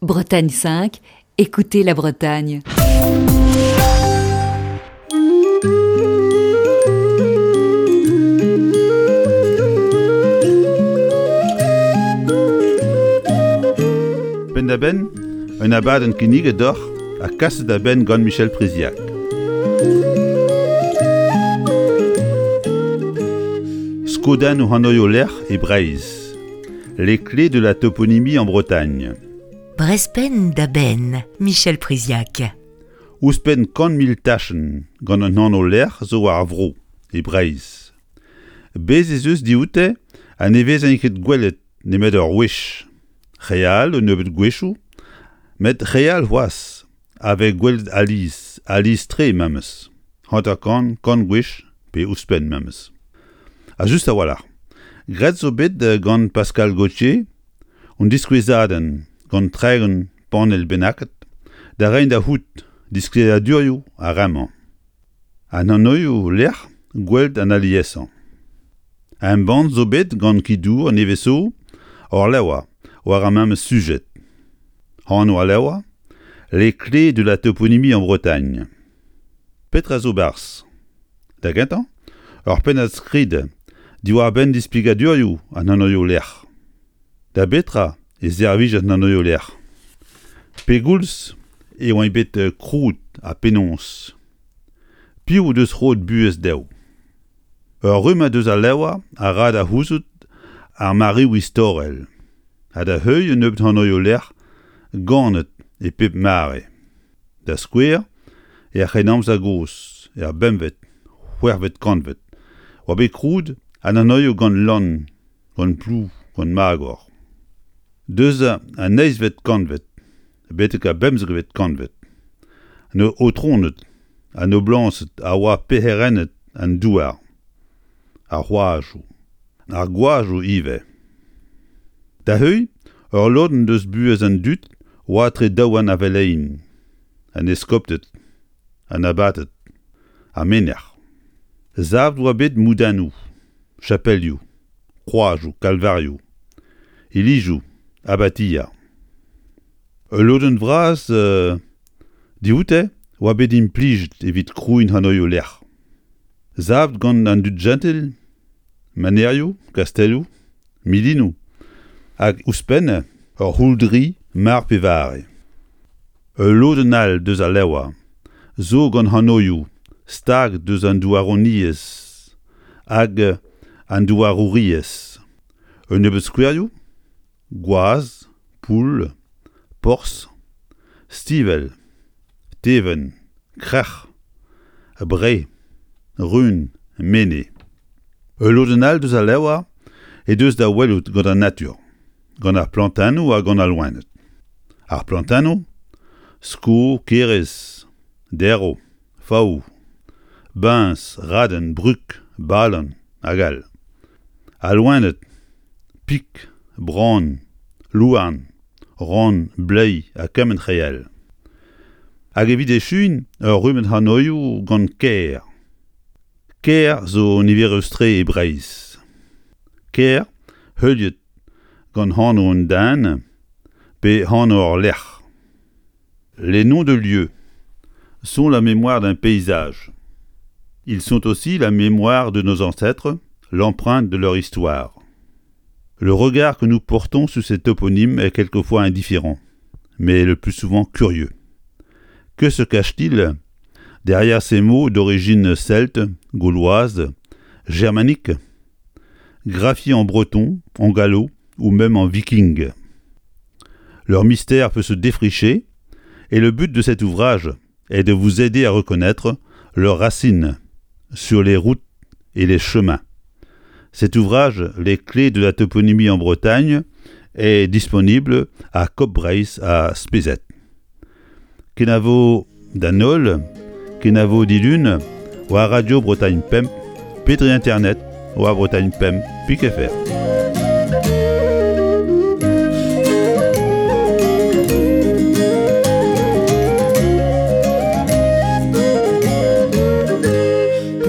Bretagne 5, écoutez la Bretagne. Penn-da-benn, un abadenn kinniget deoc'h ha kaset da benn gant Michel Priziac. Skodennoù hanoioù-lec'h e Breizh. Les clés de la toponymie en Bretagne. Brezpenn da benn, Michel Priziac. Ouzhpenn 100 000 tachenn gant un anv-lec'h zo war ar vro, e Breizh. Bez' ez eus dioute ha ne vezent ket gwelet nemet ur wech. Re all un nebeud gwechoù, met re all c'hoazh a vez gwelet alies, alies-tre memes, 50, kant gwech pe ouzhpenn memes. Ha just a-walc'h, graet zo bet gant Pascal Gauthier un diskouezadenn gant 30 panell bennaket da reiñ da c'hoût disklêriadurioù ar re-mañ. An anvioù lec'h gwelet an aliesañ. Embann zo bet gant Ki-Dour nevez zo ur levr war ar memes sujed. Anv al levr Les clés de la toponymie en Bretagne. Petra zo 'barzh? Da gentañ, ur pennad-skrid diwar-benn displegadurioù an anvioù-lec'h. Da betra e servij an anvioù-lec'h? Pegoulz e oant bet krouet ha penaos? Piv o deus roet buhez dezho? Ur rummad eus al levr a ra da c'houzout ar mareoù istorel ha da heuilh un nebeud anvioù-lec'h ganet e pep mare. Da skouer, er C'hrennamzer gozh, er bempvet, c'hwec'hvet kantved, oa bet krouet an anvioù gant lann, gant plou, gant magor. Deus an eizhvet kantved betek ar bemzekvet kantved, an aotroned ha noblañsed a oa perc'herenned an douar, ar c'hoajoù, ar gwajoù ivez. Da heuilh, ur lodenn deus buhez an dud oa etre daouarn ar veleien, an eskopted, an abated, ar menec'h. Savet oa bet moudennoù, chapelioù, kroazioù, kalvarioù, ilizoù, abatiañ. Ul lodenn vras dioute oa bet implijet evit krouiñ anvioù-lec'h. Savet gant an dud-jentil, manerioù, kastelloù, milinoù hag ouzhpenn ur c'houldri mar pe vare. Ul lodenn all deus al levr zo gant anvioù stag deus an douaroniezh hag an douarouriezh. Un nebeud skouerioù Gwaz, poull, porzh, stivell, tevenn, krec'h, bre, run, mene. Ul lodenn all deus al levr he deus da welout gant an natur, gant ar plantennoù ha gant al loened. Ar plantennoù, sko, kerez, derv, faou, biñs, raden, brug, balan hag all. Al loened, pik, bran, louarn, ran, bleiz ha kement re all. Hag evit echuiñ ur rummad anvioù gant kêr. Kêr zo niverus-tre e Breizh. Kêr heuliet gant anv un den pe anv ur lec'h. Les noms de lieux sont la mémoire d'un paysage. Ils sont aussi la mémoire de nos ancêtres, l'empreinte de leur histoire. Le regard que nous portons sur ces toponymes est quelquefois indifférent, mais le plus souvent curieux. Que se cache-t-il derrière ces mots d'origine celte, gauloise, germanique, graphiés en breton, en gallo ou même en viking Leur mystère peut se défricher et le but de cet ouvrage est de vous aider à reconnaître leurs racines sur les routes et les chemins. Cet ouvrage, Les clés de la toponymie en Bretagne, est disponible à Coop Breizh à Spezet. Kenavo d'an holl, kenavo dilun, war Radio Bretagne Pemp, pe dre internet war Bretagne Pemp pik fr.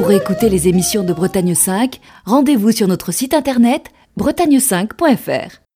Pour écouter les émissions de Bretagne 5, rendez-vous sur notre site internet bretagne5.fr.